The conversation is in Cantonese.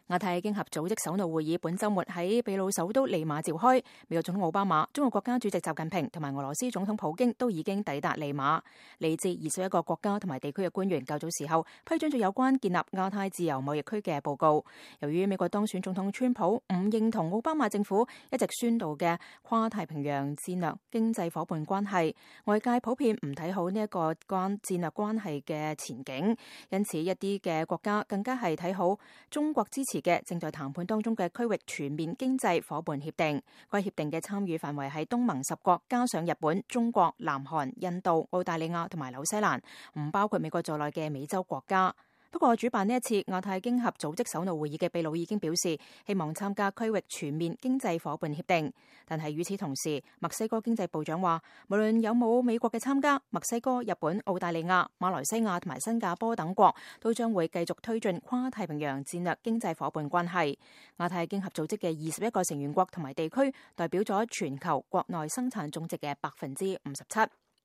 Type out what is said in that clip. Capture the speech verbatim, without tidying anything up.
亞太經合組織首腦會議本週末喺秘魯首都利馬召開，美國總統奧巴馬、中國國家主席習近平同埋俄羅斯總統普京都已經抵達利馬。嚟自二十一個國家同埋地區嘅官員較早時候批准咗有關建立亞太自由貿易區嘅報告。由於美國當選總統川普唔認同奧巴馬政府一直宣導嘅跨太平洋戰略經濟夥伴關係，外界普遍唔睇好呢一個關戰略關係嘅前景，因此一啲嘅國家更加係睇好中國支持嘅正在談判當中嘅區域全面經濟夥伴協定。該協定嘅參與範圍係東盟十國加上日本、中國、南韓、印度、澳大利亞同埋紐西蘭，唔包括美國在內嘅美洲國家。不過，主辦呢一次亞太經合組織首腦會議嘅秘魯已經表示，希望參加區域全面經濟夥伴協定。但係與此同時，墨西哥經濟部長話，無論有冇美國嘅參加，墨西哥、日本、澳大利亞、馬來西亞同埋新加坡等國都將會繼續推進跨太平洋戰略經濟夥伴關係。亞太經合組織嘅二十一個成員國同埋地區，代表咗全球國內生產總值嘅百分之五十七。